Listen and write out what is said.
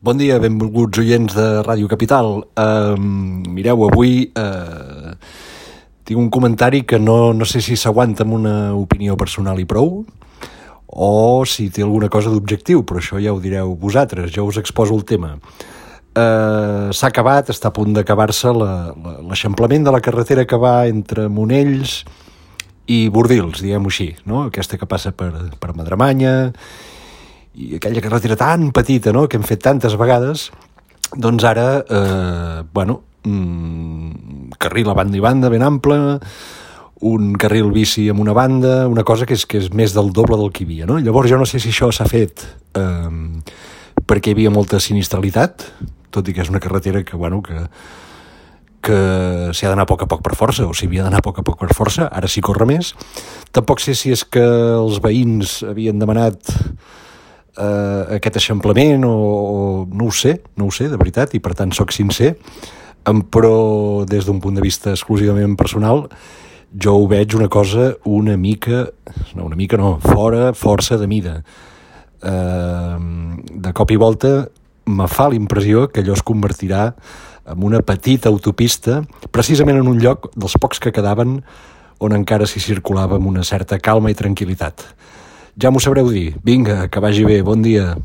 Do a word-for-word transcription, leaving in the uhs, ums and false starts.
Bon dia, benvolguts oients de Ràdio Capital. Uh, mireu, avui uh, tinc un comentari que no, no sé si s'aguanta amb una opinió personal i prou o si té alguna cosa d'objectiu, però això ja ho direu vosaltres, jo us exposo el tema. Uh, s'ha acabat, està a punt d'acabar-se l'eixamplament de la carretera que va entre Monells i Bordils, diguem-ho així, no? Aquesta que passa per, per Madremanya, i aquella carretera tan petita, no?, que hem fet tantes vegades, doncs ara, eh, bueno, mm, carril a banda i banda ben ample, un carril bici amb una banda, una cosa que és, que és més del doble del que hi havia, no? Llavors jo no sé si això s'ha fet eh, perquè hi havia molta sinistralitat, tot i que és una carretera que, bueno, que, que s'hi ha d'anar a poc a poc per força, o s'hi havia d'anar a poc a poc per força, ara s'hi corre més. Tampoc sé si és que els veïns havien demanat Uh, aquest eixamplament o, o no ho sé, no ho sé de veritat, i per tant sóc sincer, um, però des d'un punt de vista exclusivament personal jo ho veig una cosa una mica, no una mica no, fora, força de mida. Uh, de cop i volta me fa la impressió que allò es convertirà en una petita autopista precisament en un lloc dels pocs que quedaven on encara s'hi circulava amb una certa calma i tranquil·litat. Ja m'ho sabreu dir. Vinga, que vagi bé. Bon dia.